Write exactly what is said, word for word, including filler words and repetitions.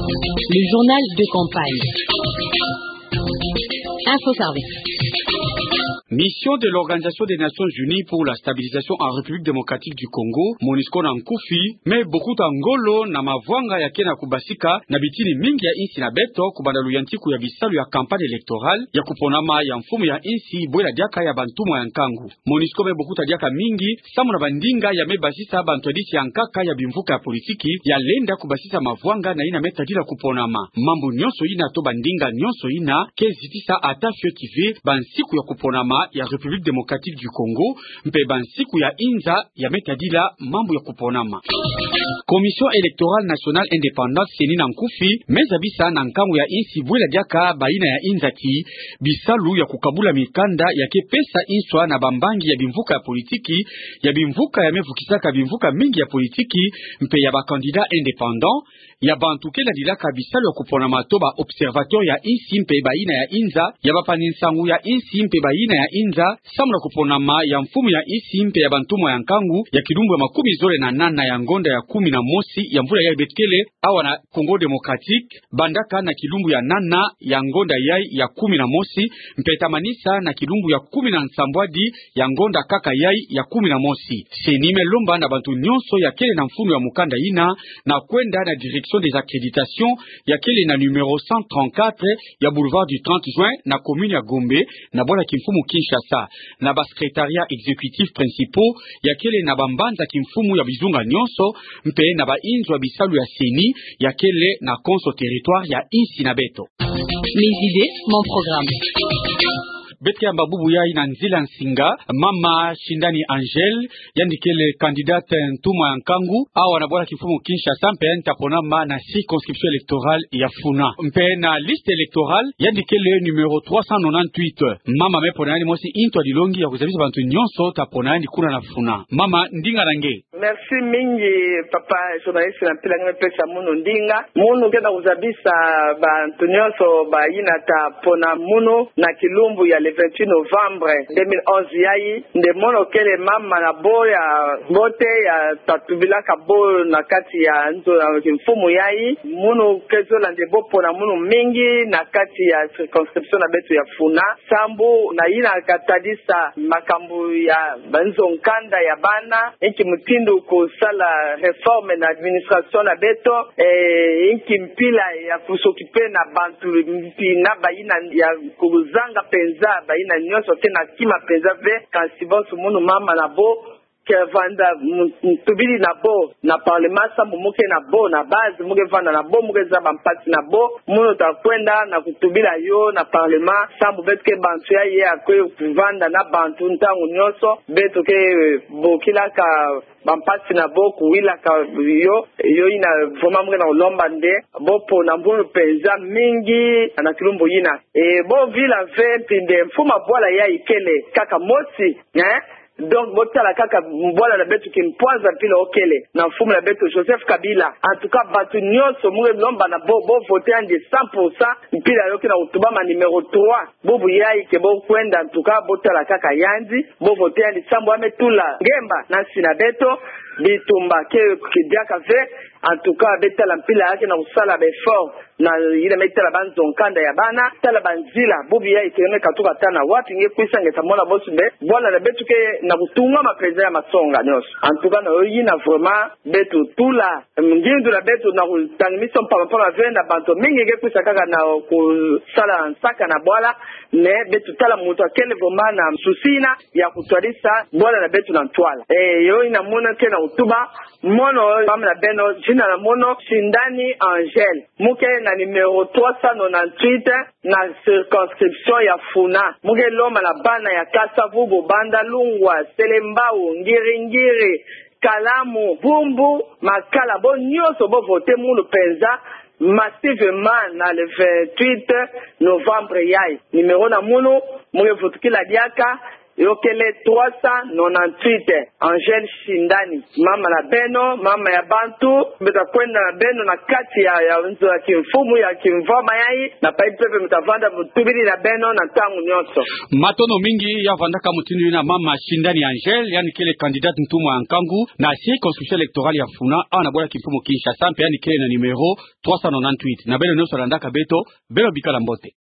Le journal de campagne. Info Service. Mission de l'Organisation des Nations Unies pour la stabilisation en République démocratique du Congo, MONUSCO na nkufi, me bokuta ngolo na mavwanga ya ke na kubasika na bitini mingi ya insi na beto, kubanda luyantiku ya bisalu ya campagne électorale ya kuponama ya mfumu ya insi bwela diaka ya bantumwa ya nkangu. MONUSCO me bokuta diaka mingi samu na bandinga ya me basisa bantwadisi ya nkaka ya bimvuka ya politiki ya lenda kubasisa mavwanga na yina me tadila kuponama. Mambu nyonso yina to bandinga nyonso yina ke zitisa ata fioti ve bansiku ya kuponama ya République démocratique du Congo, mpe bansiku ya inza ya me tadila mambu ya kuponama. Commission électorale nationale indépendante, CENI na nkufi, me zabisa na nkangu ya insi bwela diaka bayina ya inza ti bisalu ya kukabula mikanda ya ke pesa nswa na bambangi ya bimvuka ya politiki, ya bimvuka ya me vukisaka bimvuka mingi ya politiki, mpe ya ba candidats indépendants, ya bantu ke landilaka bisalu ya kuponama to ba observateurs ya insi mpe bayina ya inza, ya bapangi nsangu ya insi mpe bayina ya inza, samu na kuponama ya mfumu ya insi mpe ya bantumwa ya nkangu ya kilumbu ya makumi zole na nana ya ngonda ya kumi na mosi ya mvula yai beto kele awa na Congo Démocratique, bandaka na kilumbu ya nana ya ngonda yai ya kumi na mosi, mpe tamanisa na kilumbu ya kumi na nsambwadi ya ngonda kaka yai ya kumi na mosi. CENI me lomba na bantu nyonso ya kele na mfunu ya mukanda yina na kwenda na direction des accréditations ya kele na numéro cent trente-quatre ya boulevard du trente juin na commune ya Gombe, na bwala kimfumu Kinshasa, na ba secrétariats exécutifs principaux ya kele na bambanza kimfumu ya bizunga nyonso, mpe na ba inzo ya bisalu ya CENI ya kele na konso territoire ya insi na beto. Mes idées, mon programme. Beto ke yamba bubu yai na nzila nsinga, mama Shindani Angèle, yandi kele candidate ntumwa ya nkangu awa na bwala kimfumu Kinshasa, mpe yandi ta ponama na circonscription électorale ya Funa. Mpe na liste électorale, yandi kele numéro trois cent nonante-huit. Mama me pona yandi mosi ntwadilongi ya kuzabisa bantu nyonso ta pona yandi kuna na Funa. Mama, ndinga na nge. Merci mingi, papa journaliste, na mpila nge me pesa munu ndinga. Munu ke na kuzabisa bantu nyonso bayina ta pona munu na kilumbu ya le vingt-huit novembre deux mille onze yai. Nde mono kele mama na bo ya mbote ya ta tubilaka bo na kati ya nzo ya kimfumu yai. Munu ke zola nde bo pona munu mingi na kati ya circonscription na beto ya Funa. Sambu na yina ka tadisa makambu ya banzo nkanda ya bana, inki mutindu kusala réforme na administration na beto, eh, inki mpila ya ku s'occuper na bantu mpi na bayina ya kuzanga penza, bayina nyonso ke na kima penza ve, kansi bonso munu mama na bo ke vanda mu-, mutubili na bo na parlement, sambu mu ke na bo na base, mu ke vanda na bo, mu ke zaba mpasi na bo, munu ta kwenda na kutubila yo na parlement, sambu beto ke bantu yai ya kwe kuvanda na bantu ntangu nyonso, beto ke, eh, bokilaka bampasi na bo, kuwilaka yo, yo yina vraiment mu ke na kulomba nde bo pona munu penza mingi na kilumbu yina. E, bo vila ve mpi nde mfumu ya bwala yai kele kaka mosi, eh? Donc, bo tala kaka bwala na beto kimpwanza mpila yo kele na mfumu na beto Joseph Kabila. En tout cas, bantu nyonso mu ke lomba na bo, bo voter yandi cent pour cent, mpila yo ke na kutubama numéro trois. Bubu yai ke bo kwenda, en tout cas, bo tala kaka yandi, bo voter yandi sambu ya me tula ngemba na nsi na beto, bitumba ke, ke diaka ve, en tout cas, be tala mpila ya ke na kusala ba effort, na yina me tala banzo nkanda ya bana, tala banzila, bubu yai ke me katuka ata na wapi, nge kwisa nge ta mona bonso nde bwala na beto ke na kutungama penza ya masonga nyonso. En tout cas, na yo yina vraiment, beto tula ngindu na beto na kutangimisa mpamba mpamba ve na bantu mingi ke kwisa kaka na kusala nsaka na bwala, mais beto tala muntu ya kele vraiment na souci yina ya kutwadisa bwala na beto na ntwala. E, yo yina munu ke na kutuba, mono mama na beno, zina na mono Shindani Angèle. Mu ke na numéro trois cent nonante-huit na circonscription ya Funa. Mu ke lomba na bana ya Kasa-Vubu, Bandalungwa, Selembao, Ngiri-Ngiri, Kalamu, Bumbu, Makala, bo nyonso bo voter munu penza massivement na le vingt-huit novembre yai. Numéro na munu, mu ke vutukila diaka, Yo kele trois cent nonante-huit, Angèle Shindani. Mama na beno, mama ya bantu, mbe ta kwenda na beno na kati ya, ya nzo ya kimfumu, ya kimvwama yayi, na pai pepe mbe ta vanda mu tubiri na beno na ntangu nyonso. Matondo mingi, ya vandaka mutindu yina mama Shindani Angèle, yandi kele candidate ntumwa ya nkangu na circonscription électorale ya Mfuna, awa na bwala kimfumu Kinshasa, mpe yandi kele na numéro trois cent nonante-huit. Na beno nyonso landaka beto, beno bikala mbote.